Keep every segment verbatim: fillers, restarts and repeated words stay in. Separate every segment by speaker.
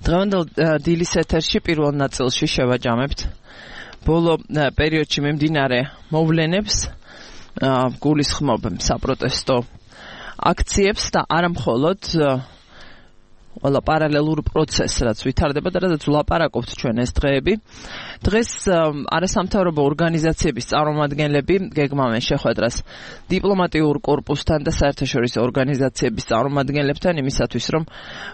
Speaker 1: დღევანდელ დილის ეთერში პირველ ნაწილში შევაჯამებთ ბოლო პერიოდში მიმდინარე მოვლენებს, გულისხმობ საპროტესტო აქციებს და არა მხოლოდ ყველა პარალელურ პროცესს, რაც ვითარდება და რაც ვლაპარაკობთ ჩვენ ეს დღეები. დღეს არასამთავრობო ორგანიზაციების წარმომადგენლები გეგმავენ შეხვედრას დიპლომატიურ კორპუსთან და საერთაშორისო ორგანიზაციების წარმომადგენლებთან იმისათვის, რომ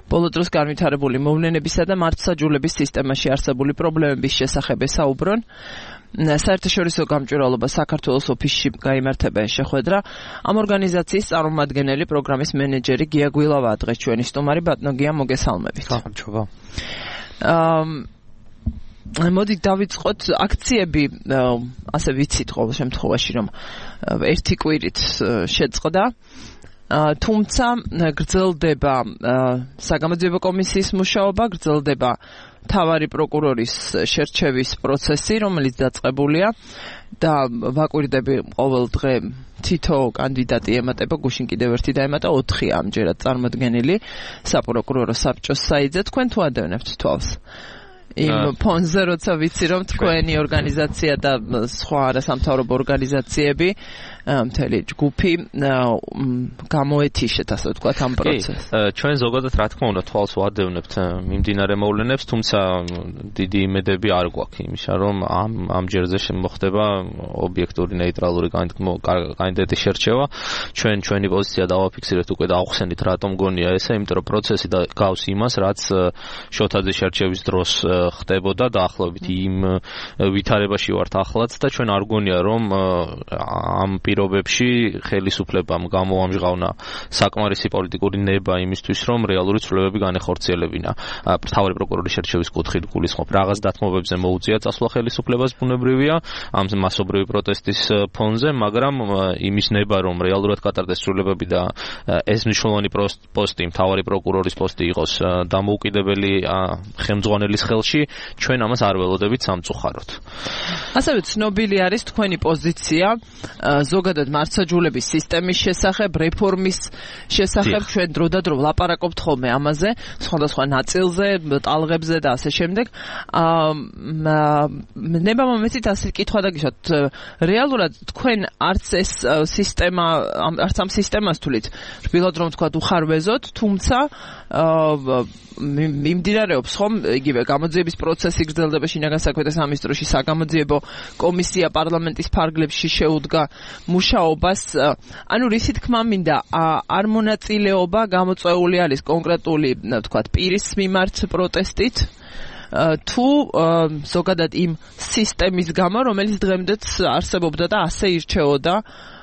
Speaker 1: ბოლო დროს განვითარებული მოვლენებისა და მართლმსაჯულების სისტემაში არსებული პრობლემების შესახებ ესაუბრონ. საერთაშორისო გამჭვირვალობა საქართველოს ოფისში გაიმართება შეხვედრა. ამ ორგანიზაციის წარმომადგენელი პროგრამის მენეჯერი გია გვილავაა დღეს ჩვენი სტუმარი. ბატონო გია, მოგესალმებით.
Speaker 2: გამარჯობა.
Speaker 1: აა მოდი დავიწყოთ აქციები, ასე ვიცით ყოველ შემთხვევაში, რომ ერთი კვირით შეწყდა. თუმცა გრძელდება საგამოძიებო კომისიის მუშაობა, გრძელდება მთავარი პროკურორის შერჩევის პროცესი, რომელიც დაწყებულია და ვაკვირდები ყოველ დღე თითო კანდიდატი ემატება, გუშინ კიდევ ერთი დაემატა, ოთხი ამჯერად წარმოდგენილი საპროკურორო საბჭოს საიტზე. თქვენ თუ ადევნებთ თვალს იმ ფონზე, როცა ვიცი, რომ თქვენი ორგანიზაცია და სხვა არასამთავრობო ორგანიზაციები მთელი ჯგუფი გამოეთიშეთ, ასე ვთქვათ, ამ პროცესს.
Speaker 2: ჩვენ ზოგადად რა თქმა უნდა თვალს ვადევნებთ მიმდინარე მოვლენებს, თუმცა დიდი იმედები არ გვაქვს იმისა, რომ ამ ამ ჯერზე შემოხდება ობიექტური ნეიტრალური კანდიდატის შერჩევა. ჩვენ ჩვენი პოზიცია დავაფიქსირეთ უკვე და ავხსენით, რატომ გონია ესე, იმიტომ რომ პროცესი გავს იმას, რაც შოთაძის შერჩევის დროს ხდებოდა და ახლობით იმ ვითარებაში ვართ ახლაც და ჩვენ არ გონია, რომ ამ პირობებში ხელისუფლებამ გამოამჟღავნა საკმარისი პოლიტიკური ნება იმისთვის, რომ რეალური ცვლილებები განეხორციელებინა. მთავარი პროკურორის შერჩევის კუთხით გულისხმობ, რაღაც დათმობებზე მოუწია წასვლა ხელისუფლებას, ბუნებრივია ამ მასობრივი პროტესტის ფონზე, მაგრამ იმის ნება, რომ რეალურად გატარდეს ცვლილებები და ეს მნიშვნელოვანი პოსტი, მთავარი პროკურორის პოსტი იყოს დამოუკიდებელი ხელმძღვანელის ხელში, ჩვენ ამას არ ველოდებით სამწუხაროდ.
Speaker 1: ასევე ცნობილი არის თქვენი პოზიცია ზოგადად მართლმსაჯულების სისტემის შესახებ, რეფორმის შესახებ. ჩვენ დროდადრო ვლაპარაკობთ ხოლმე ამაზე, სხვადასხვა ნაწილზე, ტალღებზე და ასე შემდეგ. ნება მომეცით ასე კითხვა დაგიშოთ, რეალურად თქვენ არც ეს სისტემა, არც ამ სისტემას თვლით, რბილად რომ თქვა უხარვეზოთ, თუმცა მიმდინარეობს ხომ იგივე გამოძიების პროცესი გრძელდება შინაგან საქმეთა სამინისტროში, საგამოძიებო კომისია პარლამენტის ფარგლებში შეუდგა მუშაობას. ანუ რისი თქმა მინდა, არ მონაწილეობა გამოწვეული არის კონკრეტული, ვთქვათ, პირის მიმართ პროტესტით, თუ ზოგადად იმ სისტემის გამო, რომელიც დღემდეც არსებობდა და ასე ირჩეოდა,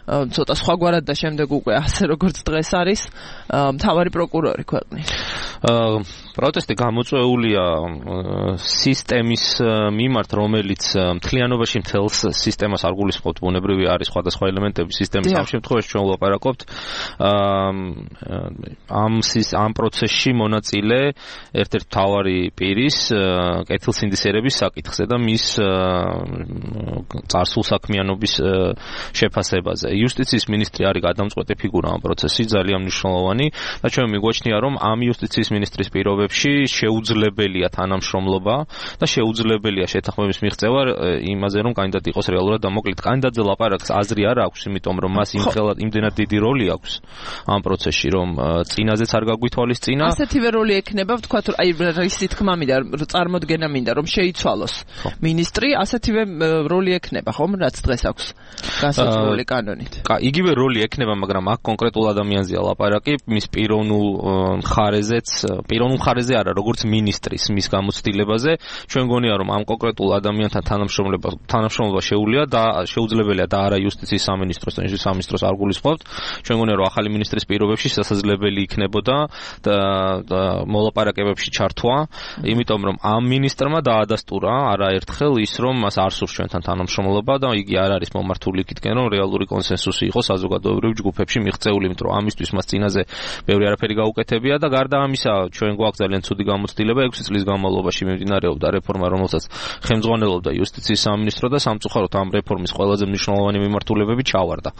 Speaker 1: ცოტა სხვაგვარად და შემდეგ უკვე ასე როგორც დღეს არის მთავარი პროკურორი ქვეყნის.
Speaker 2: პროტესტი გამოწვეულია სისტემის მიმართ, რომელიც მთლიანობაში მთელს სისტემას არ გულისხმობთ, ბუნებრივი არის სხვადასხვა ელემენტები სისტემის. ამ შემთხვევაში ჩვენ ვლაპარაკობთ ამ ამ პროცესში მონაწილე ერთ-ერთ მთავარი პირის კეთილსინდისერების საკითხზე და მის წარსულ საქმიანობის შეფასებაზე. იუსტიციის მინისტრი არის გადამწყვეტი ფიგურა ამ პროცესში, ძალიან მნიშვნელოვანი და ჩვენ მიგვაჩნია, რომ ამ იუსტიციის მინისტრის პირობებში შეუძლებელია თანამშრომლობა და შეუძლებელია შეთანხმების მიღწევა იმაზე, რომ კანდიდატი იყოს რეალურად დამოკლით. კანდიდატზე ლაპარაკს აზრი არ აქვს, იმიტომ რომ მას იმდენად დიდი როლი აქვს ამ პროცესში, რომ წინაზეც არ გაგვითვალისწინა.
Speaker 1: ასეთივე როლი ექნება, ვთქვათ, აი რისი თქმა მინდა, წარმოდგენა მინდა, რომ შეიცვალოს მინისტრი, ასეთივე როლი ექნება, ხომ, რაც დღეს აქვს განსაზღვრული კანონით.
Speaker 2: იგივე როლი ექნება, მაგრამ აქ კონკრეტულ ადამიანზეა ლაპარაკი, მის პიროვნულ მხარეზეც, პიროვნულ მხარეზე არა, როგორც მინისტრის მის გამოცდილებაზე. ჩვენ გონია, რომ ამ კონკრეტულ ადამიანთან თანამშრომლობა თანამშრომლობა შეუძლია და შეუძლებელია და არა იუსტიციის სამინისტროს და იუსტიციის სამინისტროს არ გულისხმობთ. ჩვენ გონია, რომ ახალი მინისტრის პირობებში შესაძლებელი იქნებოდა და მოლაპარაკებებში ჩართვა, იმიტომ რომ ამ მინისტრმა დაადასტურა არაერთხელ ის, რომ მას არ სურს ჩვენთან თანამშრომლობა და იგი არ არის მომართული იქითკენ, რომ რეალური კონსენსუსი იყო საზოგადოებრივ ჯგუფებში მიღწეული, იმიტომ რომ ამისთვის მას წინაზე ბევრი არაფერი გაუკეთებია და გარდა ამისა ჩვენ გვაქვს ძალიან ცუდი გამოცდილება ექვსი წლის განმავლობაში მიმდინარეობდა რეფორმა, რომელსაც ხელმძღვანელობდა იუსტიციის სამინისტრო და სამწუხაროდ ამ რეფორმის ყველაზე მნიშვნელოვანი მიმართულებები ჩავარდა.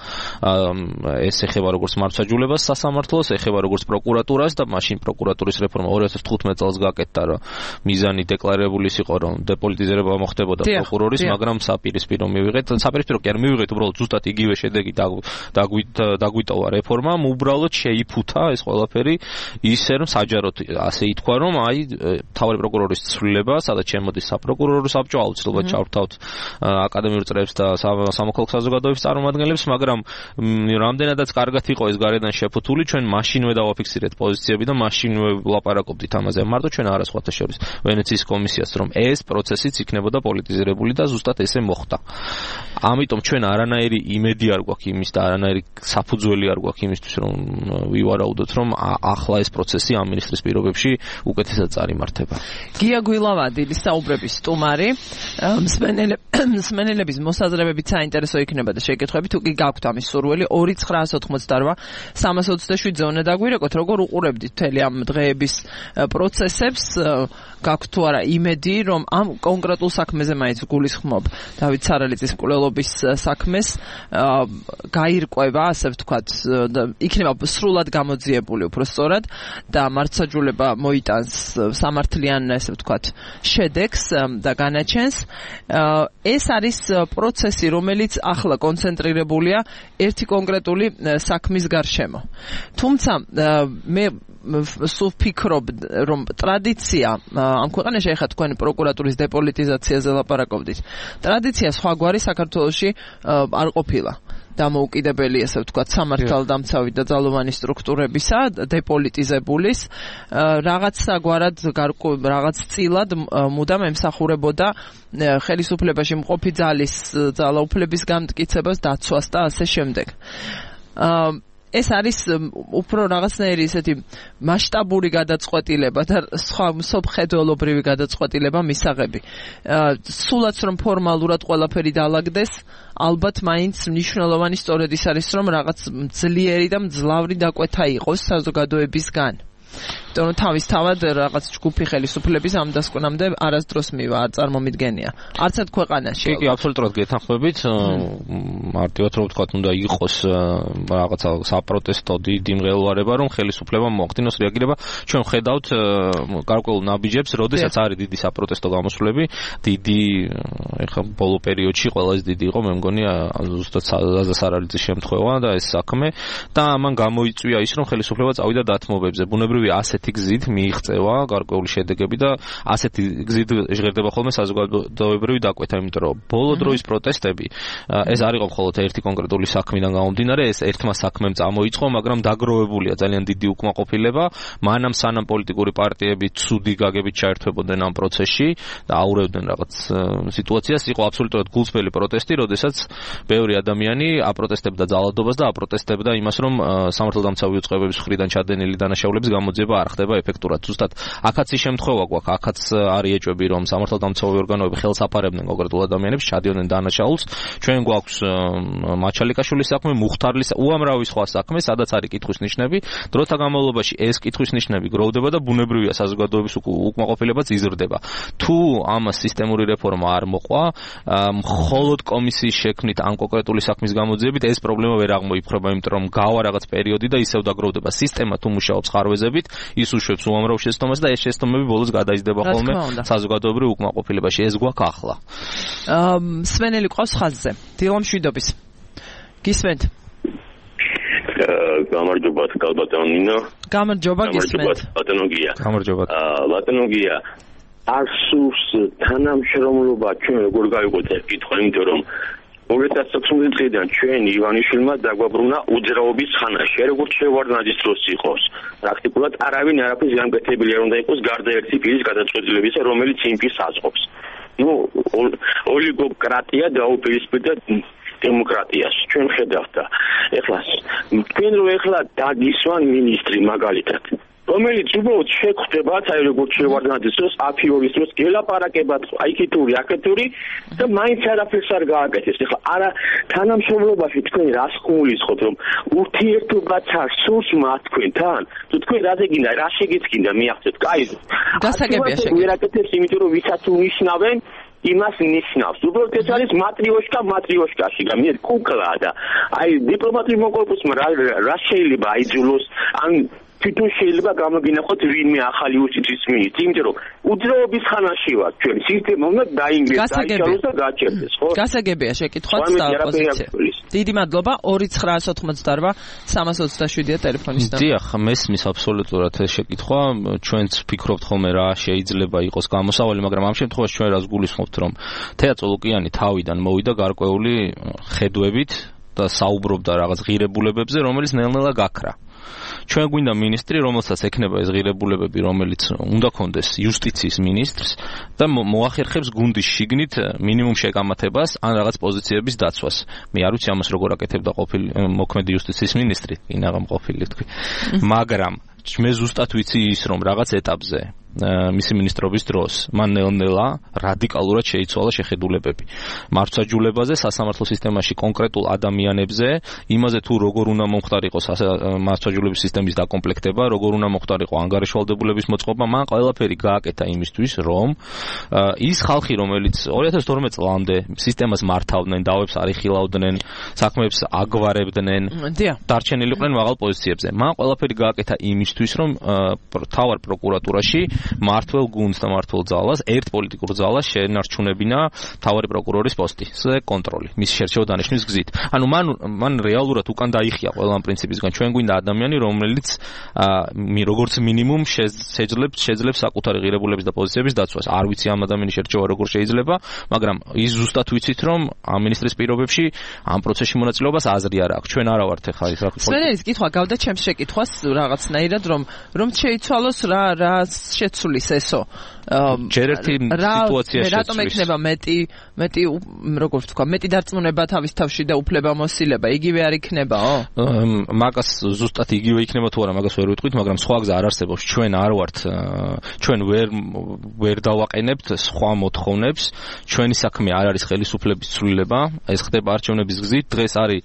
Speaker 2: ეს ეხება როგორც მართლმსაჯულებას სასამართლოს, ეხება როგორც პროკურატურას და მაშინ პროკურატურის რეფორმა ორი ათას თხუთმეტ წელს გაკეთდა, რომ მიზანი დეკლარირებული იყო, რომ დეპოლიტიზება მოხდებოდა პროკურორის, მაგრამ საპირისპირო მივიღეთ, საპირისპირო კი არ მივიღეთ, უბრალოდ ზუსტად იგივე შედეგი დაგვიტოვა რეფორმამ, უბრალოდ შეიფუთა ეს ყველაფერი ისე, რომ საჯაროდ ასე ითქვა, რომ აი მთავარი პროკურორის ცვლილება, სადაც შემოდის საპროკურორო საბჭო, აუცილებლად ჩავრთავთ აკადემიურ წრეებს და სამოქალაქო საზოგადოების წარმომადგენლებს, მაგრამ რამდენადაც კარგად იყო ეს გარედან შეფუთული, ჩვენ მაშინვე დავაფიქსირეთ პოზიციები და მაშინვე ვლაპარაკობდით ამაზე. მარტო ჩვენ არა სხვათა შორის ვენეციის კომისიას, რომ ეს პროცესიც იქნებოდა პოლიტიზირებული და ზუსტად ესე მოხდა. ამიტომ ჩვენ არანაირი იმედი არ გვაქვს იმის და არანაირი საფუძველი არ გვაქვს იმისთვის, რომ ვივარაუდოთ, რომ ახლა ეს პროცესი ამ მინისტრის პირობებში უკეთესად წარიმართება.
Speaker 1: გია გვილავადი, საუბრების სტუმარი, მსმენელების მოსაზრებებით საინტერესო იქნება და შეკითხვები თუ კი გაქვთ ამის სურვილი ორი ცხრაას ოთხმოცდარბა სამას ოცდაშვიდზე უნდა დაგვირეკოთ, როგორ უყურებდით მთელი ამ დღეების პროცესებს, გაქვთ თუ არა იმედი, რომ ამ კონკრეტულ საქმეზე მაინც გულისხმობ დავით სარალიძის მკვლელობის საქმეს გაირკვევა, ასე ვთქვათ, იქნება სრულად გამოძიებული უფრო სწორად და მართლმსაჯულება მოიტანს სამართლიან, ასე ვთქვათ, შედეგს და განაჩენს. ეს არის პროცესი, რომელიც ახლა კონცენტრირებულია ერთი კონკრეტული საქმის გარშემო. თუმცა მე სულ ვფიქრობ, რომ ტრადიცია ამ ქვეყანაში, ეხლა თქვენ პროკურატურის დეპოლიტიზაციაზე ლაპარაკობდით, ტრადიცია სხვაგვარი საქართველოში არ ყოფილა. დამოუკიდებელი, ასე ვთქვათ, სამართალდამცავი და ძალოვანი სტრუქტურებისა, დეპოლიტიზებულის, რაღაცაგვარად რაღაც წილად მუდამ ემსახურებოდა ხელისუფლებაში მყოფი ძალის ძალაუფლების გამტკიცებას, დაცვას და ასე შემდეგ. ეს არის უფრო რაღაცნაირი ესეთი მასშტაბური გადაწყვეტილება და სხვა მსოფლმხედველობრივი გადაწყვეტილება მისაღები. სულაც რომ ფორმალურად ყველაფერი დაალაგდეს, ალბათ მაინც მნიშვნელოვანი სწორედ ის არის, რომ რაღაც ძლიერი და მძლავრი დაკვეთა იყოს საზოგადოებისგან. Don't თავის თავად რაღაც ჯგუფი ხელისუფლების ამ დასკვნამდე არასდროს მივა, არ წარმომიდგენია. არცად ქვეყანაში.
Speaker 2: კი, კი, აბსოლუტურად გეთანხმებით. მარტივად რომ ვთქვათ, უნდა იყოს რაღაცა საპროტესტო დიდი მღელვარება, რომ ხელისუფლებამ მოახდინოს რეაგირება. ჩვენ ვხედავთ გარკვეულ ნაბიჯებს, როდესაც არის დიდი საპროტესტო გამოსვლები, დიდი ეხლა ბოლო პერიოდში ყველაზე დიდი იყო, მე მგონი, ზუსტად ზაზა სარალიძის შემთხვევა და ეს საქმე და ამან გამოიწვია ის, რომ ხელისუფლება წავიდა დათმობებზე. ბუნებრივია ასეთი გზით მიიღწევა გარკვეული შედეგები და ასეთი გზით ჟღერდება ხოლმე საზოგადოებრივი დაკვეთა, იმიტომ რომ ბოლო დროის პროტესტები ეს არ იყო მხოლოდ ერთი კონკრეტული საქმიდან გამომდინარე, ეს ერთმა საქმემ წამოიწყო, მაგრამ დაგროვებულია ძალიან დიდი უკმაყოფილება, მანამ სანამ პოლიტიკური პარტიები ცუდი გაგებით ჩაერთვებოდნენ ამ პროცესში და აურევდნენ რაღაც სიტუაციას, იყო აბსოლუტურად გულწრფელი პროტესტი, როდესაც ბევრი ადამიანი აპროტესტებდა ძალადობას და აპროტესტებდა იმას, რომ სამართალდამცავი უწყებების მხრიდან ჩადენილი დანაშაულების გამოძიება არ ხდება ეფექტურად. ზუსტად აქაც ის შემთხვევა გვაქვს, აქაც არის ეჭვები, რომ სამართალდამცავი ორგანოები ხელს აფარებდნენ კონკრეტულ ადამიანებს, ჩადიოდნენ დანაშაულს. ჩვენ გვაქვს მაჩალიკაშვილის საქმე, მუხთარლის, უამრავი სხვა საქმე, სადაც არის კითხვის ნიშნები. დროთა განმავლობაში ეს კითხვის ნიშნები გროვდება და ბუნებრივია საზოგადოების უკმაყოფილებაც იზრდება. თუ ამას სისტემური რეფორმა არ მოყვა, მხოლოდ კომისიის შექმნით ამ კონკრეტული საქმის გამოძიებით ეს პრობლემა ვერ აღმოიფხვრება, იმიტომ რომ გავა რაღაც პერიოდი და ისევ დაგროვდება. სისტემა თუ მუშაობს ხარვეზებით, ის უშვებს უამრავ შეცდომას და ეს შეცდომები ბოლოს გადაიზრდება ხოლმე საზოგადოებრივ უკმაყოფილებაში. ეს გვაქვს ახლა.
Speaker 1: მსმენელი ყავს ხაზზე. დილამშვიდობის. გისმენთ?
Speaker 3: გამარჯობა, კალბატონო ნინო.
Speaker 1: გამარჯობა, გისმენთ.
Speaker 3: ბატონო გია.
Speaker 2: გამარჯობა.
Speaker 3: ბატონო გია. არსუს თანამშრომლობა ჩვენ როგორ გავიყოთ ეს კითხვა, იმიტომ რომ ორი ათას ოცდაოთხ წლიდან ჩვენ ივანიშვილმა დაგვაბრუნა უძრაობის ხანაში, როგორც შევარდნაძის დროს იყოს. პრაქტიკულად არავინ არაფერს გამკეთებელი არ უნდა იყოს გარდა ერთი პირის გადაწყვეტილებისა, რომელიც იმ პირს აწყობს. ნუ ოლიგოკრატია დაუპირისპირდა დემოკრატიას. ჩვენ ხედავთ და ეხლა თქვენ რო ეხლა დაგისვან მინისტრი მაგალითად რომელიც უბრალოდ შეხვდებათ, აი როგორც შევარდნაძის დროს, აფიორის დროს გელაპარაკებათ, აი კიტური, აკეთური და მაინც არაფერს არ გააკეთეს. ეხლა არა თანამშრომლობაში თქვენ რას გულისხმობთ, რომ ურთიერთობაც არ სურს მათ თქვენთან? თუ თქვენ რაზე გინდა, რა შეგეცკინდა მიაღწევთ? კაი.
Speaker 1: გასაგებია შეგეცდით.
Speaker 3: ვერ აკეთებს, იმიტომ რომ ვისაც უნიშნავენ იმას ნიშნავს. უბრალოდ ეს არის მატრიოშკა მატრიოშკაში და მე კუკლაა და აი დიპლომატიურ კორპუსმა რა რა შეიძლება აიძულოს ან თვითონ შეიძლება გამოგინახოთ ვინმე ახალი უსიცის მინისტრი, იმიტომ რომ უძრაობის ხანაში ვართ ჩვენ. სისტემა უნდა დაინგრეს, დაიშალოს და გაჩერდეს, ხო?
Speaker 1: გასაგებია შეკითხვაც და პოზიცია. დიდი მადლობა. ორი ცხრაას ოცდაოთხმოცდაარბა სამას ოცდაშვიდია ტელეფონის ნომერი.
Speaker 2: დიახ, მესმის აბსოლუტურად ეს შეკითხვა. ჩვენც ფიქრობთ ხოლმე რა შეიძლება იყოს გამოსავალი, მაგრამ ამ შემთხვევაში ჩვენ რას გულისხმობთ, რომ თეა წოლუკიანი თავიდან მოვიდა გარკვეული ხედვებით და საუბრობდა რაღაც ღირებულებებზე, რომელიც ნელ-ნელა გაქრა. ჩვენ გვინდა მინისტრი, რომელსაც ექნება ეს ღირებულებები, რომელიც უნდა კონდეს იუსტიციის მინისტრს და მოახერხებს გუნდის შიგნით მინიმუმ შეკამათებას ან რაღაც პოზიციების დაცვას. მე არ ვიცი ამას როგორ აკეთებდა ყოფილი მოქმედი იუსტიციის მინისტრი, ინაღამ ყოფილი თქვი. მაგრამ მე ზუსტად ვიცი ის, რომ რაღაც ეტაპზე მისი მინისტრობის დროს მან ნელ-ნელა რადიკალურად შეიცვალა შეხედულებები მართლმსაჯულებაზე, სასამართლო სისტემაში კონკრეტულ ადამიანებზე, იმაზე თუ როგორ უნდა მომხდარიყოს მართლმსაჯულების სისტემის დაკომპლექტება, როგორ უნდა მომხდარიყო ანგარიშვალდებულების მოწყობა, მან ყველაფერი გააკეთა იმისთვის, რომ ის ხალხი, რომელიც ორი ათას თორმეტ წლამდე სისტემას მართავდნენ, დავებს არიხილავდნენ, საქმეებს აგვარებდნენ, დარჩენილიყვნენ მაღალ პოზიციებზე. მან ყველაფერი გააკეთა იმისთვის, რომ მთავარ პროკურატურაში მართლ გუნდს და მართლ ძალას, ერთ პოლიტიკურ ძალას შეენარჩუნებინა მთავარი პროკურორის პოსტი, ეს კონტროლი, მის შერჩევა დანიშნვის გზით. ანუ მან მან რეალურად უკან დაიხია ყველა ამ პრინციპისგან. ჩვენ გვინდა ადამიანი, რომელიც როგორც მინიმუმ შეძლებს შეძლებს საკუთარი ღირებულების და პოზიციების დაცვას. არ ვიცი ამ ადამიანის შერჩევა როგორ შეიძლება, მაგრამ ის ზუსტად ვიცით, რომ ამ მინისტრის პირობებში ამ პროცესში მონაწილეობას აზრი არ აქვს. ჩვენ არა ვართ ახლა ის რა.
Speaker 1: სვენელის კითხვა გავდა ჩემს შეკითხვას რაღაცნაირად, რომ რომ შეიცვალოს რა რა შეცვლის ესო.
Speaker 2: ჯერ ერთი სიტუაცია შეცვლის.
Speaker 1: რატომ ექნება მეტი მეტი როგორ ვთქვა, მეტი დარწმუნება თავის თავში და უფლებამოსილება, იგივე არ იქნებაო?
Speaker 2: მაგას ზუსტად იგივე იქნება თუ არა, მაგას ვერ ვიტყვით, მაგრამ სხვა გზა არ არსებობს. ჩვენ არ ვართ, ჩვენ ვერ ვერ დავაყენებთ სხვა მოთხოვნებს. ჩვენი საქმე არ არის ხელისუფლების ცვლილება, ეს ხდება არჩევნების გზით. დღეს არის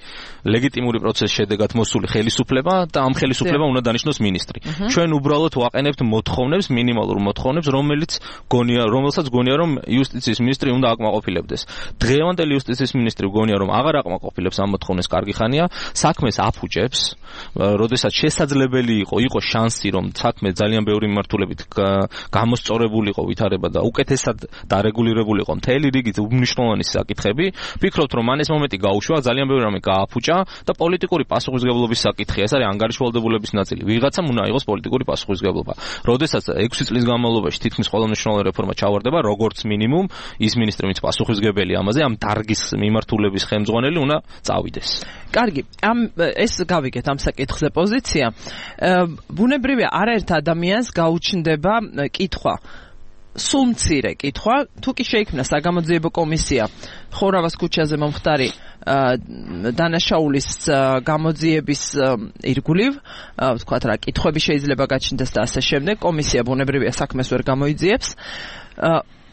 Speaker 2: ლეგიტიმური პროცესის შედეგად მოსული ხელისუფლება და ამ ხელისუფლება უნდა დანიშნოს მინისტრი. ჩვენ უბრალოდ ვაყენებთ მოთხოვნებს, მინიმალურ მოთხოვნებს, რომელიც გონია, რომელსაც გონია, რომ იუსტიციის მინისტრი უნდა აკმაყოფილებდეს. დღევანდელი იუსტიციის მინისტრი გონია, რომ აღარ აკმაყოფილებს ამ მოთხოვნებს კარგი ხანია, საქმეს აფუჭებს, როდესაც შესაძლებელი იყო, იყო შანსი, რომ საქმე ძალიან ბევრი მიმართულებით გამოსწორებულიყო ვითარება და უკეთესად დარეგულირებულიყო მთელი რიგი უმნიშვნელოვანესი საკითხები. ვფიქრობთ, რომ მან ეს მომენტი გაუშვა, ძალიან ბევრი რამე გააფუჭა და პოლიტიკური პასუხისმგებლობის საკითხია. ეს არის ანგარიშვალდებულების ნაწილი. ვიღაცამ უნდა იყოს პოლიტიკური პასუხისმგებლობა. როდესაც ექვსი წლის განმავლობაში თითქმის ყველა მნიშვნელოვანი რეფორმა ჩავარდება, როგორც მინიმუმ ის მინისტრი, ვინც პასუხისმგებელი ამაზე, ამ დარგის მიმართულების ხელმძღვანელი უნდა წავიდეს.
Speaker 1: კარგი, ამ ეს გავიგეთ ამ საკითხზე პოზიცია. ბუნებრივია არაერთ ადამიანს გაუჩნდება კითხვა. სულ მცირე კითხვა, თუ კი შეიქმნა საგამოძიებო კომისია ხორავას ქუჩაზე მომხდარი დანაშაულის გამოძიების ირგვლივ, ვთქვათ რა, კითხვები შეიძლება გაჩნდეს და ასე შემდეგ, კომისია ბუნებრივია საქმეს ვერ გამოიძიებს.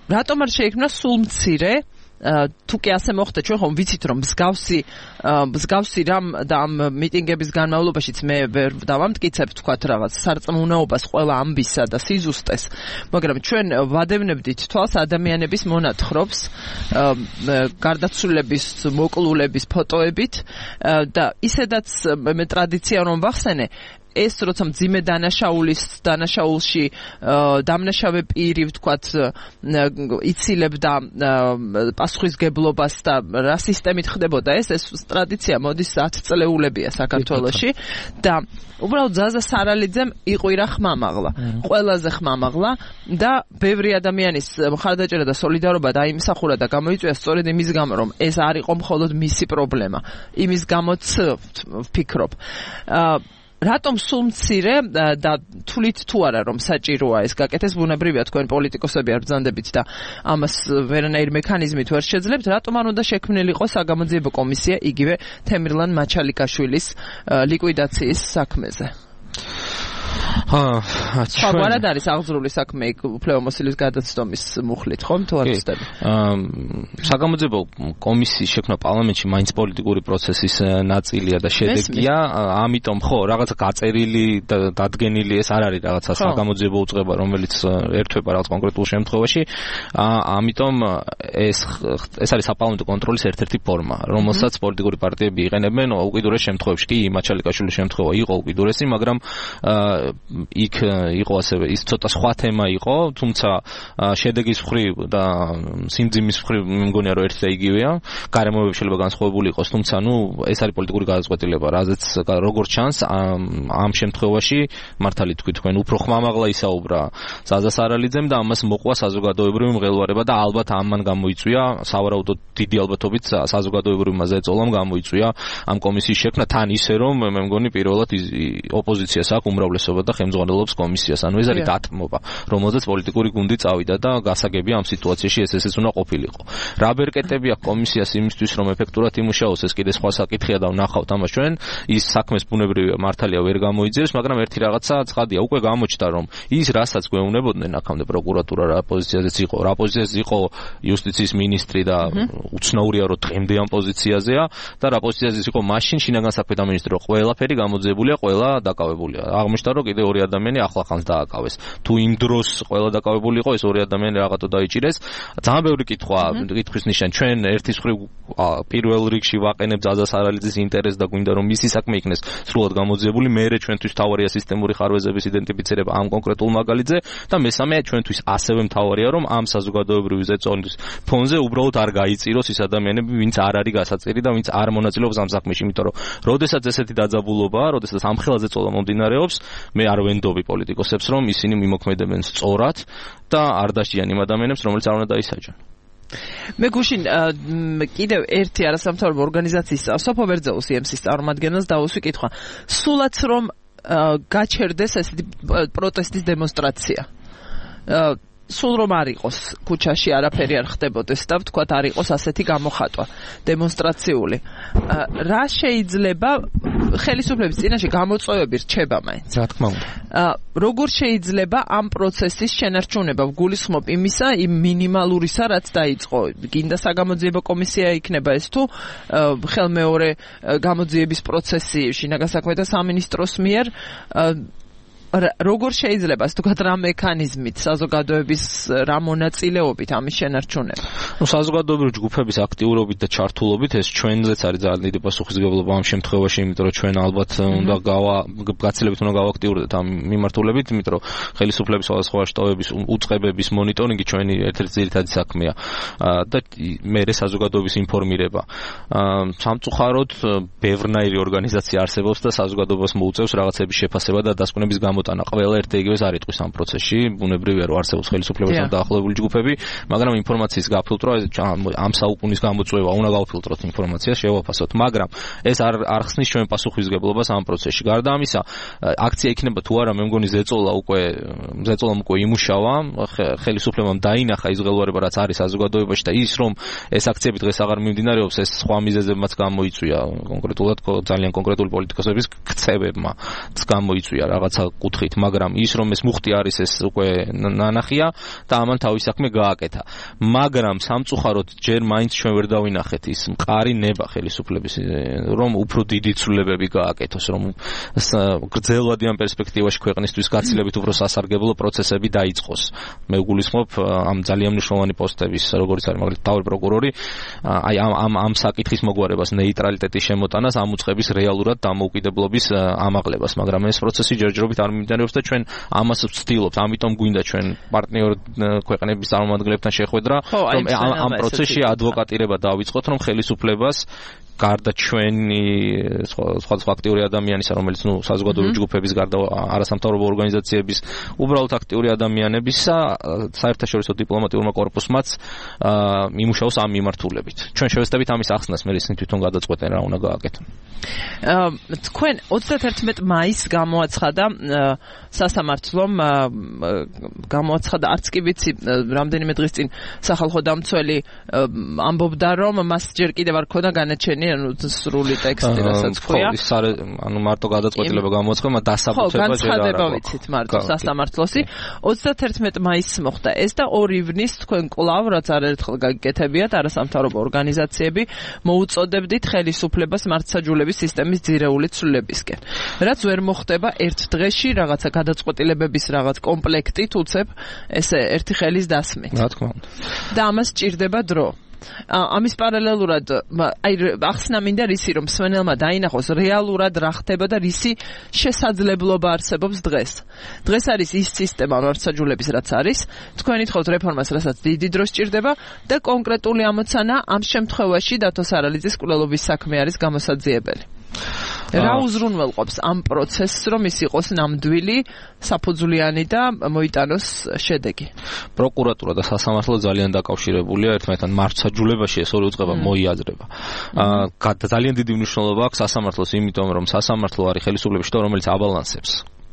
Speaker 1: რატომ არ შეიქმნა სულ მცირე თუ კი ასე მოხდა, ჩვენ ხომ ვიცით, რომ მსგავსი მსგავსი რამ და ამ მიტინგების განმავლობაშიც მე ვერ დავამტკიცებ, თქვათ რაღაც სარწმუნოებას ყველა ამბისა და სიზუსტეს, მაგრამ ჩვენ ვადევნებდით თვალს ადამიანების მონათხრობს, გარდაცვლილების, მოკლულების ფოტოებით და ისედაც მე ტრადიცია რომ ვახსენე, ეს როცა მძიმე დანაშაულის დანაშაულში დამნაშავე პირი ვთქვათ იცილებდა პასუხისგებლობას და რა სისტემით ხდებოდა ეს ეს ტრადიცია მოდის ათი წლეულებია საქართველოში და უბრალოდ ზაზა სარალიძემ იყვირა ხმამაღლა ყველაზე ხმამაღლა და ბევრი ადამიანის მხარდაჭერა და სოლიდარობა დაიმსახურა და გამოიწვია სწორედ იმის გამო რომ ეს არ იყო მხოლოდ მისი პრობლემა იმის გამოც ვფიქრობ რატომ სულ მცირე და თulit თუ არა რომ საჭიროა ეს გაკეთდეს ბუნებრივია თქვენ პოლიტიკოსები არ ბრძანდებით და ამას ვერანაირ მექანიზმით ვერ შეძლებთ რატომ არ უნდა შექმნილიყო საგამოძიებო კომისია იგივე თემირლან მაჩალიკაშვილის ლიკვიდაციის საქმეზე
Speaker 2: ხა,
Speaker 1: სხვაგვარად არის აღძრული საქმე უფლებამოსილის გადაცდომის მუხლით, ხომ თუ არ ვცდები?
Speaker 2: აა საგამოძიებო კომისიის შექმნა პარლამენტში მაინც პოლიტიკური პროცესის ნაწილია და შედეგია, ამიტომ ხო, რაღაცა გაწერილი და დადგენილი ეს არ არის რაღაცა საგამოძიებო უწყება, რომელიც ერთვება რაღაც კონკრეტულ შემთხვევაში. ამიტომ ეს ეს არის საპარლამენტო კონტროლის ერთ-ერთი ფორმა, რომელსაც პოლიტიკური პარტიები იყენებენ უკიდურეს შემთხვევებში. კი, მაჩალიკაშვილის შემთხვევა იყო უკიდურესი, მაგრამ იქ იყო ასევე ის ცოტა სხვა თემა იყო, თუმცა შედეგის მხრივ და სიმძიმის მხრივ მე მგონია რომ ერთი და იგივეა. გარემოებები შეიძლება განსხვავებული იყოს, თუმცა ნუ ეს არის პოლიტიკური გადაწყვეტილება, რაზეც როგორც ჩანს ამ შემთხვევაში მართალი თქვი თქვენ უფრო ხმამაღლა ისაუბრა ზაზა სარალიძემ და ამას მოყვა საზოგადოებრივი მღელვარება და ალბათ ამან გამოიწვია სავარაუდოდ დიდი ალბათობით საზოგადოებრივმა ზეწოლამ გამოიწვია ამ კომისიის შექმნა თან ისე რომ მე მგონი პირველად ოპოზიციას აქვს უმრავლესობა და ხელმძღვანელობს კომისიას. ანუ ეს არის დათმობა, რომელზეც პოლიტიკური გუნდი წავიდა და გასაგებია ამ სიტუაციაში ეს ესეც უნდა ყოფილიყო. რა ბერკეტები აქვს კომისიას იმისთვის რომ ეფექტურად იმუშაოს, ეს კიდე სხვა საკითხია და ვნახავთ ამას ჩვენ. ის საქმეს ბუნებრივია მართალია ვერ გამოიძიებს, მაგრამ ერთი რაღაცა ცხადია, უკვე გამოჩნდა რომ ის რასაც გვეუბნებოდნენ აქამდე პროკურატურა რა პოზიციაზეც იყო, რა პოზიციაზე იყო იუსტიციის მინისტრი და უცნაურია რომ დღემდე ამ პოზიციაზეა და რა პოზიციაზე იყო მაშინ შინაგან საქმეთა მინისტრი, რომ ყველაფერი გამოძიებულია, ყველა დაკავებულია. აღმოჩნდა რომ კიდე ორი ადამიანი ახლახანს დააკავეს. თუ იმ დროს ყველა დაკავებული იყო, ეს ორი ადამიანი რაღაცა დაიჭირეს. ძალიან ბევრი კითხვა, კითხვის ნიშანი. ჩვენ ერთის მხრივ პირველ რიგში ვაყენებთ ზაზა სარალიძის ინტერესს და გვინდა რომ მისი საქმე იქნეს სრულად გამოძიებული. მერე ჩვენთვის თავარია სისტემური ხარვეზების იდენტიფიცირება ამ კონკრეტულ მაგალითზე და მესამე ჩვენთვის ასევე მთავარია რომ ამ საზოგადოებრივი ზეწოლის ფონზე უბრალოდ არ გაიწიროს ის ადამიანები, ვინც არ არის გასაწირი და ვინც არ მონაწილეობს ამ საქმეში, იმიტომ რომ როდესაც ესეთი დაძაბულობაა, როდესაც ამ ხელაზე წოლა მომდინარეობს, მე არ ვენდობი პოლიტიკოსებს რომ ისინი მიმოქმედებენ სწორად და არ დასჯიან იმ ადამიანებს, რომელიც არ უნდა დაისაჯონ.
Speaker 1: მე გუშინ კიდევ ერთი არასამთავრობო ორგანიზაციის სოფო ვერძეუს იემსის წარმომადგენელს დავუსვი კითხვა. სულაც რომ გაჩერდეს ესეთი პროტესტის დემონსტრაცია. სულ რომ არ იყოს ქუჩაში არაფერი არ ხდებოდეს და ვთქვათ არ იყოს ასეთი გამოხატვა დემონსტრაციული. რა შეიძლება ხელისუფლების წინაშე გამოწვევები რჩება მაინც?
Speaker 2: რა თქმა უნდა.
Speaker 1: როგორ შეიძლება ამ პროცესის შენარჩუნება ვგულისხმობ იმისა, იმ მინიმალურისა, რაც დაიწყო? გინდა საგამოძიებო კომისია იქნება ეს თუ ხელმეორე გამოძიების პროცესი შინაგან საქმეთა სამინისტროს მიერ? როგორ შეიძლება ასე თქვა რა მექანიზმით საზოგადოების რა მონაწილეობით ამის შენარჩუნება?
Speaker 2: ნუ საზოგადოებრივი ჯგუფების აქტიურობით და ჩართულობით ეს ჩვენზეც არის ძალიან დიდი პასუხისმგებლობა ამ შემთხვევაში, იმიტომ რომ ჩვენ ალბათ უნდა გავა გაცილებით უნდა გავაქტიურდეთ ამ მიმართულებით, იმიტომ რომ ხელისუფლების სხვადასხვა შტოების უწყებების მონიტორინგი ჩვენი ერთ-ერთი ძირითადი საქმეა და მერე საზოგადოების ინფორმირება. სამწუხაროდ ბევრნაირი ორგანიზაცია არსებობს და საზოგადოებას მოუწევს რაღაცების შეფასება და დასკვნების გამოტანა. ყველა ერთ იგივეს არ იტყვის ამ პროცესში, ბუნებრივია რომ არსებობს ხელისუფლებასთან დაახლოებული ჯგუფები, მაგრამ ინფორმაციის გაფილტრვა ამ საუკუნის გამოწვევა, უნდა გავფილტროთ ინფორმაციას, შევაფასოთ, მაგრამ ეს არ არ ხსნის ჩვენ პასუხისმგებლობას ამ პროცესში. გარდა ამისა, აქცია იქნება თუ არა, მე მგონი ზეწოლა უკვე ზეწოლამ უკვე იმუშავა, ხელისუფლებამ დაინახა ის ღელვარება, რაც არის საზოგადოებაში და ის რომ ეს აქციები დღეს აღარ მიმდინარეობს, ეს სხვა მიზეზებმაც გამოიწვია, კონკრეტულად ძალიან კონკრეტული პოლიტიკოსების ქცევებმა გამოიწვია რაღაცა კუთხით, მაგრამ ის რომ ეს მუხტი არის, ეს უკვე ნანახია და ამან თავის საქმე გააკეთა. მაგრამ სამწუხაროდ ჯერ მაინც ჩვენ ვერ დავინახეთ ის მყარი ნება ხელისუფლების, რომ უფრო დიდი ცვლილებები გააკეთოს, რომ გრძელვადი ამ პერსპექტივაში ქვეყნისთვის გაცილებით უფრო სასარგებლო პროცესები დაიწყოს. მე ვგულისხმობ ამ ძალიან მნიშვნელოვანი პოსტების, როგორც არის მაგალითად თავი პროკურორი, აი ამ ამ ამ საკითხის მოგვარებას, ნეიტრალიტეტის შემოტანას, ამ უწყების რეალურად დამოუკიდებლობის ამაღლებას, მაგრამ ეს პროცესი ჯერჯერობით არ მიმდინარეობს და ჩვენ ამას ვცდილობთ, ამიტომ გვინდა ჩვენ პარტნიორ ქვეყნების წარმომადგენლებთან შეხვედრა, რომ ამ პროცესში ადვოკატირება დავიწყოთ, რომ ხელისუფლებას გარდა ჩვენი სხვადასხვა აქტიური ადამიანისა, რომელიც ნუ საზოგადოებრივი ჯგუფების გარდა არასამთავრობო ორგანიზაციების უბრალოდ აქტიური ადამიანებისა, საერთაშორისო დიპლომატიურმა კორპუსმაც იმუშაოს ამ მიმართულებით. ჩვენ შევეცდებით ამის ახსნას, მე ისინი თვითონ გადაწყვეტენ რა უნდა გააკეთონ.
Speaker 1: თქვენ ოცდაათი მაისს გამოაცხადა სასამართლომ გამოაცხადა, არც კი ვიცი, რამდენიმე დღის წინ სახალხო დამცველი ამბობდა, რომ მას ჯერ კიდევ არ ქონდა განაჩენი, ანუ სრული ტექსტი, რასაც ქვია.
Speaker 2: ანუ მარტო გადაწყვეტილება გამოაცხადა, მაგრამ დასაბუთება ჯერ არ აქვს. ხო,
Speaker 1: განცხადება ვიცით მარტო სასამართლოსი. ოცდათერთმეტ მაისს მოხდა ეს და ორი ივნის თქვენ კვლავ, რაც არაერთხელ გაგიკეთებიათ, არასამთავრობო ორგანიზაციები, მოუწოდებდით ხელისუფლებას მართლმსაჯულების სისტემის ძირეული ცვლილებისკენ. რაც ვერ მოხდება ერთ დღეში, რაღაცა გადაწყვეტილებების რაღაც კომპლექტით უცებ ესე ერთი ხელის დასმით.
Speaker 2: რა თქმა უნდა.
Speaker 1: და ამას სჭირდება დრო. ამის პარალელურად აი ახსნა მინდა რისი რომ მსმენელმა დაინახოს რეალურად რა ხდება და რისი შესაძლებლობა არსებობს დღეს. დღეს არის ის სისტემა მართლმსაჯულების რაც არის, თქვენ ითხოვთ რეფორმას, რასაც დიდი დრო სჭირდება და კონკრეტული ამოცანა ამ შემთხვევაში დათო სარალიძის კვლელობის საქმე არის გამოსაძიებელი. რა უზრუნველყოფს ამ პროცესს, რომ ის იყოს ნამდვილი, საფუძვლიანი და მოიტანოს შედეგი?
Speaker 2: პროკურატურა და სასამართლო ძალიან დაკავშირებულია ერთმანეთთან. მართლმსაჯულებაში ეს ორი უწყება მოიაზრება. აა ძალიან დიდი მნიშვნელობა აქვს სასამართლოს, იმიტომ რომ სასამართლო არის ხელისუფლების შტო, რომელიც აბალანსებს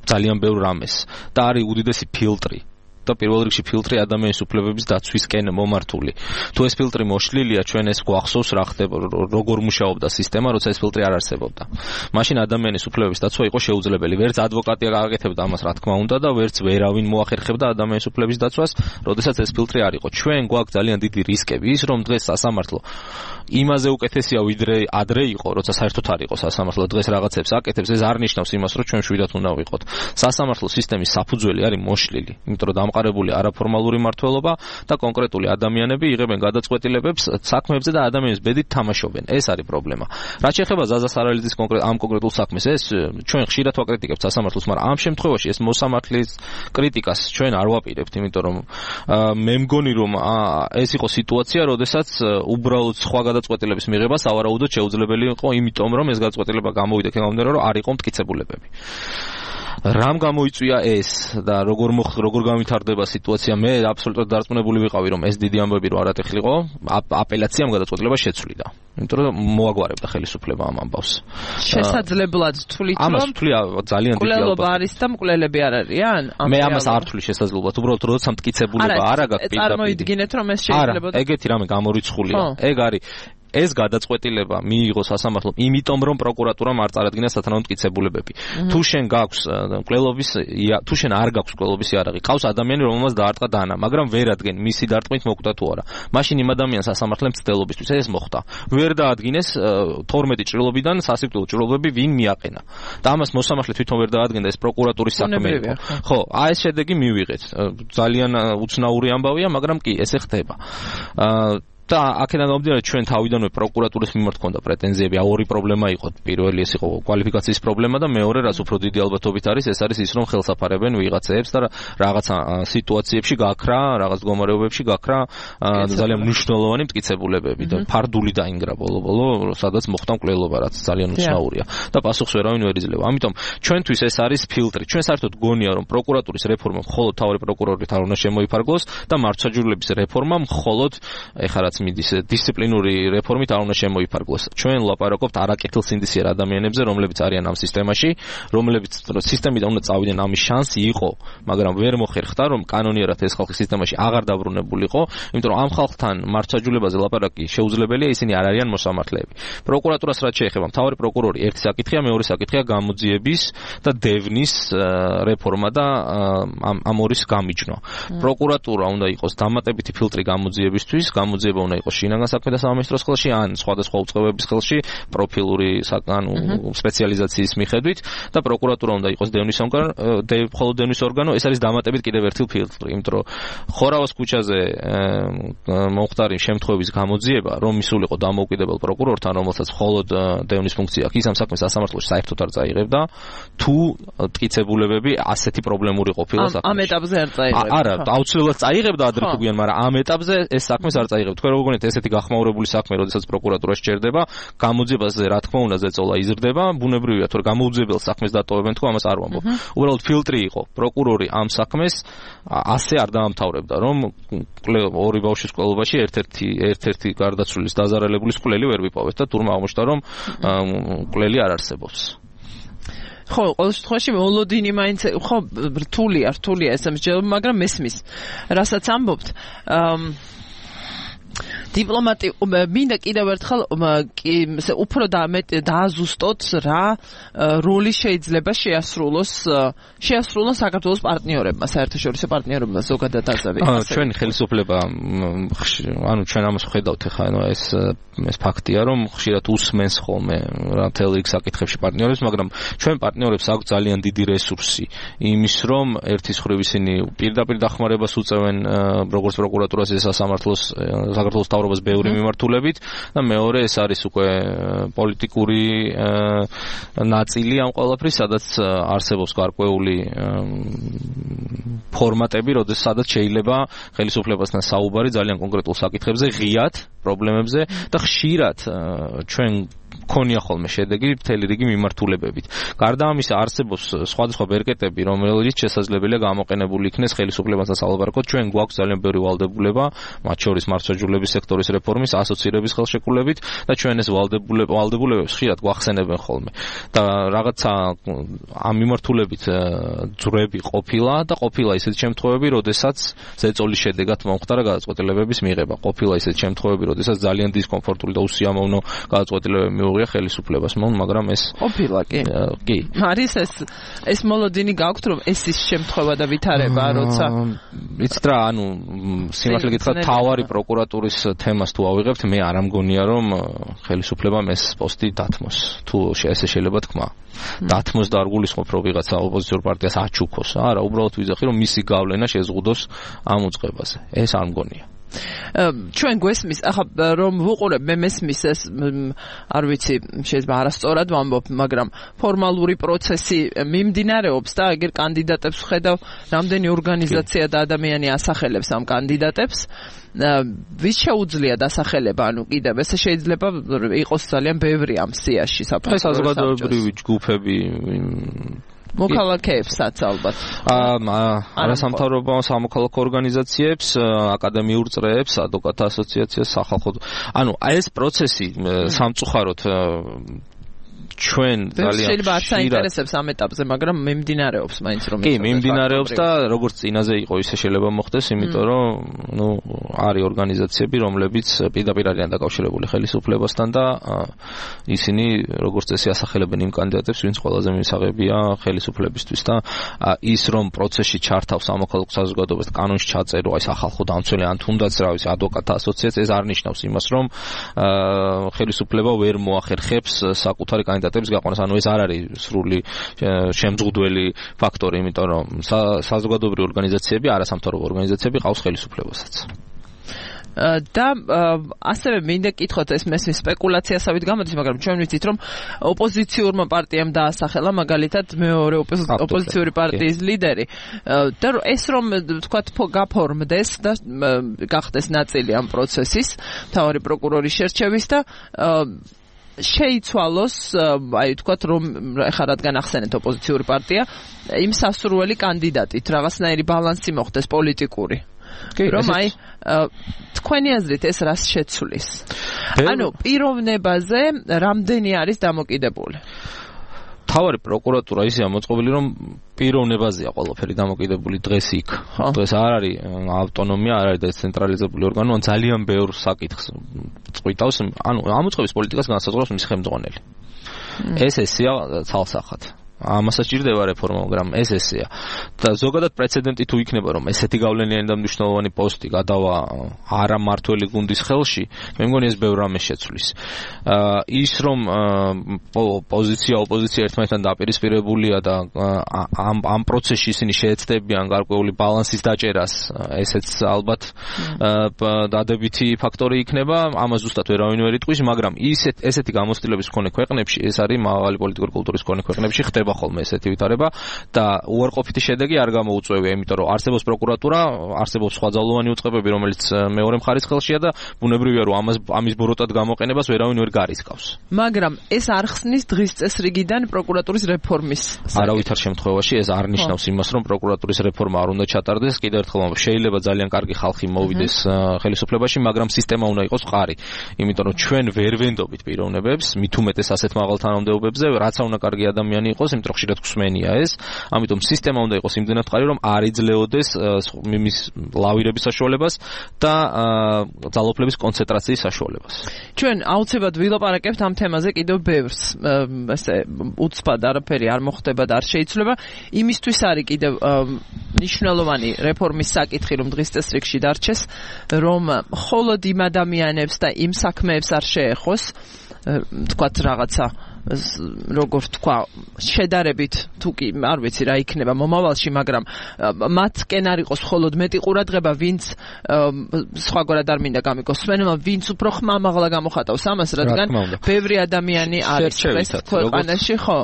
Speaker 2: ძალიან ბევრ რამეს და არის უდიდესი ფილტრი. და პირველ რიგში ფილტრი ადამიანის უფლებების დაცვისკენ მომართული. თუ ეს ფილტრი მოშლილია, ჩვენ ეს გვახსოვს რა ხდება, როგორ მუშაობდა სისტემა, როცა ეს ფილტრი არ არსებობდა. მაშინ ადამიანის უფლებების დაცვა იყო შეუძლებელი. ვერც ადვოკატი გააკეთებდა ამას, რა თქმა უნდა, და ვერც ვერავინ მოახერხებდა ადამიანის უფლებების დაცვას, როდესაც ეს ფილტრი არ იყო. ჩვენ გვაქვს ძალიან დიდი რისკები, ის რომ დღეს სასამართლო იმაზე უკეთესია ვიდრე ადრე იყო, როცა საერთოდ არ იყო სასამართლო, დღეს რაღაცებს აკეთებს, ეს არ ნიშნავს იმას, რომ ჩვენ შვიდად უნდა ვიყოთ. სასამართლო სისტემის საფუძველი არის მოშლილი, იმიტომ რომ დამყარებული არაფორმალური მმართველობა და კონკრეტული ადამიანები იღებენ გადაწყვეტილებებს საქმეებზე და ადამიანის ბედით თამაშობენ. ეს არის პრობლემა. რაც შეეხება ზაზა სარალიძის კონკრეტ ამ კონკრეტულ საქმეს, ეს ჩვენ ხშირად ვაკრიტიკებთ სასამართლოს, მაგრამ ამ შემთხვევაში ეს მოსამართლის კრიტიკას ჩვენ არ ვაპირებთ, იმიტომ რომ მე მგონი რომ ეს იყო სიტუაცია, როდესაც უბრალოდ სხვა გადაწყვეტილების მიღება სავარაუდოდ შეუძლებელი იყო, იმიტომ რომ ეს გადაწყვეტილება გამოვიდა გამომდინარე, რომ არ იყო მტკიცებულებები. რამ გამოიწვია ეს და როგორ როგორ გავითარდება სიტუაცია? მე აბსოლუტურად დარწმუნებული ვიყავი, რომ ეს დიდი ამბები რო არატეხილიყო, აპელაციამ გადაწყვეტილება შეცვლიდა. იმიტომ რომ მოაგვარებდა ხელისუფლება ამ ამბავს.
Speaker 1: შესაძლებლად თვლით, რომ
Speaker 2: ამას თვლი ძალიან დიდი ალბათ.
Speaker 1: მკვლელობა არის და მკვლელები არ არიან?
Speaker 2: მე ამას არ თვლი შესაძლებლად. უბრალოდ როცა მტკიცებულება არ აქვს პირდაპირ.
Speaker 1: წარმოიდგინეთ, რომ ეს შეიძლება.
Speaker 2: არა, ეგეთი რამე გამორიცხულია. ეგ არის ეს გადაწყვეტილება მიიღო სასამართლომ, იმიტომ რომ პროკურატურამ არ წარადგინა სათანადო მტკიცებულებები. თუ შენ გაქვს მკვლელობის, თუ შენ არ გაქვს მკვლელობის იარაღი, ყავს ადამიანი, რომელმაც დაარტყა დანა, მაგრამ ვერ ადგენ მისი დარტყმით მოკვდა თუ არა. მაშინ იმ ადამიანს სასამართლომ მცდელობისთვის ეს მოხდა. ვერ დაადგინეს თორმეტი ჭრილობიდან სასიკვდილო ჭრილობები ვინ მიაყენა. და ამას მოსამართლე თვითონ ვერ დაადგენდა, ეს პროკურატურის საქმე იყო. ხო, აი ეს შედეგი მივიღეთ. ძალიან უცნაური ამბავია, მაგრამ კი ესე ხდება. აა და აქედან გამომდინარე ჩვენ თავიდანვე პროკურატურის მიმართ ჰქონდა პრეტენზიები. ორი პრობლემა იყო. პირველი ეს იყო კვალიფიკაციის პრობლემა და მეორე, რაც უფრო დიდი ალბათობით არის, ეს არის ის, რომ ხელსაფარებენ ვიღაცებს და რაღაცა სიტუაციებში გაქრა, რაღაც მდგომარეობებში გაქრა ძალიან მნიშვნელოვანი მტკიცებულებები და ფარდული დაინგრა ბოლო-ბოლო, სადაც მოხდა მკვლელობა, რაც ძალიან უცნაურია და პასუხს ვერავინ ვერ იძლევა. ამიტომ ჩვენთვის ეს არის ფილტრი. ჩვენ საერთოდ გონია, რომ პროკურატურის რეფორმა მხოლოდ თავი პროკურორით არ უნდა შემოიფარგლოს და მართლმსაჯულების რეფორმა მხოლოდ ეხლა მიდის დისციპლინური რეფორმით არ უნდა შემოიფარგლოს. ჩვენ ვლაპარაკობთ არაკეთილსინდისიერ ადამიანებზე, რომლებიც არიან ამ სისტემაში, რომლებიც სისტემიდან უნდა წავიდნენ, ამის შანსი იყო, მაგრამ ვერ მოხერხდა, რომ კანონიერად ეს ხალხი სისტემაში აღარ დაბრუნებულიყო, იმიტომ რომ ამ ხალხთან მართლმსაჯულებაზე ლაპარაკი შეუძლებელია, ისინი არ არიან მოსამართლეები. პროკურატურას რაც შეეხება, მთავარი პროკურორი ერთი საკითხია, მეორე საკითხია გამოძიების და დევნის რეფორმა და ამ ამორის გამიჯვნა. პროკურატურა უნდა იყოს დამატებითი ფილტრი გამოძიებისთვის, გამოძიება უნდა იყოს შინაგან საქმეთა სამინისტროს ხელში ან სხვადასხვა უწყებების ხელში პროფილური ანუ სპეციალიზაციის მიხედვით და პროკურატურა უნდა იყოს დევნის ორგანო, მხოლოდ დევნის ორგანო, ეს არის დამატებით კიდევ ერთი ფილტრი, იმიტომ რომ ხორავას ქუჩაზე მომხდარი შემთხვევების გამოძიება, რომ მისულიყო დამოუკიდებელ პროკურორთან, რომელსაც მხოლოდ დევნის ფუნქცია აქვს, ის ამ საქმეს სასამართლოში საერთოდ არ წაიღებდა, თუ მტკიცებულებები ასეთი პრობლემური ყოფილა საქმეში.
Speaker 1: ამ ეტაპზე არ წაიღებდა.
Speaker 2: არა, აუცილებლად წაიღებდა ადრე თუ გვიან, მაგრამ ამ ეტაპზე ეს საქმეს არ წაიღებდა. თქვენ როგორ გონიათ ესეთი გახმაურებული საქმე, როდესაც პროკურატურა სჭერდება, გამოძიებაზე რა თქმა უნდა ზეწოლა იზრდება, ბუნებრივია, თუ გამოუძიებელ საქმეს დატოვებენ, თუ ამას არ ვამბობ. უბრალოდ ფილტრი იყო. პროკურორი ამ საქმეს ასე არ დაამთავრებდა, რომ ორი ბავშვის მკვლელობაში ერთ-ერთი ერთ-ერთი გარდაცვლილის დაზარალებულის მკვლელი ვერ ვიპოვეთ და თურმე აღმოჩნდა, რომ მკვლელი არ არსებობს.
Speaker 1: ხო, ყოველ შემთხვევაში მოლოდინი მაინც ხო რთულია, რთულია ეს ამჟამად, მაგრამ მესმის. რასაც ამბობთ, დიპლომატი მინდა კიდევ ერთხელ უფრო დააზუსტოთ რა როლი შეიძლება შეასრულოს შეასრულოს საქართველოს პარტნიორებმა, საერთაშორისო პარტნიორებმა ზოგადად ასევე.
Speaker 2: ჩვენი ხელისუფლება ანუ ჩვენ ამას ვხედავთ ახლა ანუ ეს ეს ფაქტია რომ ხშირად უსმენს ხოლმე რა მთელ რიგ საკითხებში პარტნიორებს, მაგრამ ჩვენ პარტნიორებს აქვს ძალიან დიდი რესურსი იმის რომ ერთის მხრივ ისინი პირდაპირ დახმარებას უწევენ როგორც პროკურატურას ეს სასამართლოს საქართველოს თავრობას ბევრი მიმართულებით და მეორე ეს არის უკვე პოლიტიკური ნაწილი ამ ყველაფრის, სადაც არსებობს გარკვეული ფორმატები, როდესაც სადაც შეიძლება ხელისუფლებასთან საუბარი ძალიან კონკრეტულ საკითხებზე, ღიად პრობლემებზე და ხშირად ჩვენ ქონია ხოლმე შედეგი მთელი რიგი მიმართულებებით. გარდა ამისა არსებობს სხვადასხვა ბერკეტები, რომელიც შესაძლებელია გამოყენებული იქნეს ხელისუფლებასთან სალაპარაკოდ. ჩვენ გვაქვს ძალიან ბევრი ვალდებულება, მათ შორის მართლმსაჯულების სექტორის რეფორმის, ასოცირების ხელშეკრულებით და ჩვენ ეს ვალდებულებებს ხშირად გვახსენებენ ხოლმე. და რაღაცა ამ მიმართულებით ძვრები ყოფილა და ყოფილა ისეთი შემთხვევები, როდესაც ზეწოლის შედეგად მომხდარა გადაწყვეტილებების მიღება. ყოფილა ისეთი შემთხვევები, როდესაც ძალიან დისკომფორტული და უსიამოვნო გადაწყვეტილებები მიუღია ხელისუფლებას, მაგრამ ეს
Speaker 1: ყოფილა კი.
Speaker 2: კი.
Speaker 1: არის ეს ეს მოლოდინი გაქვთ რომ ეს ის შემთხვევა და ვითარება, როცა
Speaker 2: იცით რა, ანუ სიმართლე გითხრათ, თავარი პროკურატურის თემას თუ ავიღებთ, მე არ ამგონია რომ ხელისუფლებამ ეს პოსტი დათმოს. თუ ესე შეიძლება თქვა. დათმოს და არ გულისხმობ რომ ვიღაცა ოპოზიციურ პარტიას აჩუქოს. არა, უბრალოდ ვიზახი რომ მისი გავლენა შეზღუდოს ამ უწყებაზე. ეს არ მგონია.
Speaker 1: ჩვენ გვესმის, ახლა რომ ვუყურებ, მე მესმის ეს არ ვიცი, შეიძლება არასწორად ვამბობ, მაგრამ ფორმალური პროცესი მიმდინარეობს და ეგერ კანდიდატებს ვხედავ, რამდენი ორგანიზაცია და ადამიანი ასახელებს ამ კანდიდატებს. ვის შეუძლია დასახელება, ანუ კიდევ ეს შეიძლება იყოს ძალიან ბევრი ამ სიაში საფრთხე.
Speaker 2: საზოგადოებრივი ჯგუფები
Speaker 1: მოქალაქეებსაც ალბათ.
Speaker 2: არასამთავრობო სამოქალაქო ორგანიზაციებს, აკადემიურ წრეებს, ადვოკატთა ასოციაციას, სახალხო. ანუ ეს პროცესი სამწუხაროდ ჩვენ ძალიან
Speaker 1: შეიძლება არ საინტერესებს ამ ეტაპზე, მაგრამ მიმდინარეობს მაინც რომ
Speaker 2: კი, მიმდინარეობს და როგორც წინაზე იყო, ისე შეიძლება მოხდეს, იმიტომ რომ ნუ არის ორგანიზაციები, რომლებიც პირდაპირ არიან დაკავშირებული ხელისუფლებასთან და ისინი როგორც წესი ასახელებენ იმ კანდიდატებს, ვინც ყველაზე მისაღებია ხელისუფლებისთვის და ის რომ პროცესში ჩართავს სამოქალაქო საზოგადოებას, კანონში ჩაწერო აი სახალხო დამცველი ან თუნდაც რა ვიცი ადვოკატთა ასოციაცია, ეს არ ნიშნავს იმას, რომ ხელისუფლება ვერ მოახერხებს საკუთარი კანდიდატების გაყვანას, ანუ ეს არ არის სრული შემძღუდველი ფაქტორი, იმიტომ რომ საზოგადოებრივი ორგანიზაციები, არასამთავრობო ორგანიზაციები ყავს ხელისუფლებასაც.
Speaker 1: და ასევე მინდა კითხოთ ეს მესმის სპეკულაციასავით გამოდის, მაგრამ ჩვენ ვიცით რომ ოპოზიციურმა პარტიამ დაასახელა მაგალითად მეორე ოპოზიციური პარტიის ლიდერი და ეს რომ თქვათ გაფორმდეს და გახდეს ნაწილი ამ პროცესის მთავარი პროკურორის შერჩევის და შეიცვალოს, აი თქვათ რომ ეხლა რადგან ახსენეთ ოპოზიციური პარტია, იმ სასურველი კანდიდატით რაღაცნაირი ბალანსი მოხდეს პოლიტიკური. რომ აი თქვენი აზრით ეს რას შეცვლის? ანუ პიროვნებაზე რამდენი არის დამოკიდებული?
Speaker 2: თავარი პროკურატურა ისეა მოწყობილი, რომ პიროვნებაზეა ყველაფერი დამოკიდებული დღეს იქ. დღეს არ არის ავტონომია, არ არის დეცენტრალიზებული ორგანო, ან ძალიან ბევრ საკითხს წყვიტავს, ანუ ამ უწყების პოლიტიკას განსაზღვრავს მისი ხელმძღვანელი. ეს ესეა ცალსახად. ამასაც ჭირდება რეფორმა, მაგრამ ეს ესეა. და ზოგადად პრეცედენტი თუ იქნება, რომ ესეთი გავლენიანი და მნიშვნელოვანი პოსტი გადავა არა მართველი გუნდის ხელში, მე მგონი ეს ბევრ რამეს შეცვლის. ის რომ პოზიცია, ოპოზიცია ერთმანეთთან დაპირისპირებულია და ამ ამ პროცესში ისინი შეეცდებიან გარკვეული ბალანსის დაჭერას, ესეც ალბათ დადებითი ფაქტორი იქნება, ამას ზუსტად ვერავინ ვერ იტყვის, მაგრამ ისეთ ესეთი გამოცდილების მქონე ქვეყნებში, ეს არის მაღალი პოლიტიკური კულტურის მქონე ქვეყნებში ხდება ხოლმე ესეთი ვითარება და უარყოფითი შედეგი არ გამოუწვევია, იმიტომ რომ არსებობს პროკურატურა, არსებობს სხვა ძალოვანი უწყებები, რომელიც მეორე მხარის ხელშია და ბუნებრივია რომ ამას ამის ბოროტად გამოყენებას ვერავინ ვერ გარისკავს.
Speaker 1: მაგრამ ეს არ ხსნის დღის წესრიგიდან პროკურატურის რეფორმის.
Speaker 2: არავითარ შემთხვევაში ეს არ ნიშნავს იმას, რომ პროკურატურის რეფორმა არ უნდა ჩატარდეს. კიდევ ერთხელ ვამბობ, შეიძლება ძალიან კარგი ხალხი მოვიდეს ხელისუფლებაში, მაგრამ სისტემა უნდა იყოს მყარი. იმიტომ რომ ჩვენ ვერ ვენდობით პიროვნებებს, მით უმეტეს ასეთ მაღალ თანამდებობებზე, რაც უნდა კარგი ადამიანი იყოს, იმიტომ რომ ხშირად გვსმენია ეს, ამიტომ სისტემა უნდა იყოს იმდენად მყარი, რომ არ იძლეოდეს მის ლავირების საშუალებას და ძალაუფლების კონცენტრაციის საშუალებას.
Speaker 1: ჩვენ აუცილებლად ვილაპარაკებთ ამ თემაზე კიდევ ბევრს, ესე უცბად არაფერი არ მოხდება და არ შეიცვლება. იმისთვის არის კიდევ მნიშვნელოვანი რეფორმის საკითხი, რომ დღის წესრიგში დარჩეს, რომ მხოლოდ იმ ადამიანებს და იმ საქმეებს არ შეეხოს, თქვათ რაღაცა როგორ თქვა, შედარებით თუ კი არ ვიცი რა იქნება მომავალში, მაგრამ მათკენ არ იყოს მხოლოდ მეტი ყურადღება, ვინც სხვაგვარად არ მინდა გამიგოს სვენელმა, ვინც უფრო ხმამაღლა გამოხატავს ამას, რადგან ბევრი ადამიანი არის ეს ქვეყანაში, ხო,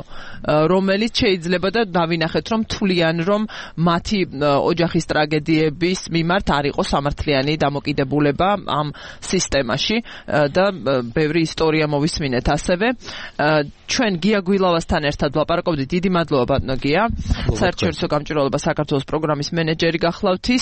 Speaker 1: რომელიც შეიძლება და დავინახეთ, რომ თვლიან, რომ მათი ოჯახის ტრაგედიების მიმართ არ იყოს სამართლიანი დამოკიდებულება ამ სისტემაში და ბევრი ისტორია მოვისმინეთ ასევე. ჩვენ გია გვილავასთან ერთად ვლაპარაკობდით. დიდი მადლობა ბატონო გია. საერთაშორისო გამჭვირვალობა საქართველოს პროგრამის მენეჯერი გახლავთ ის.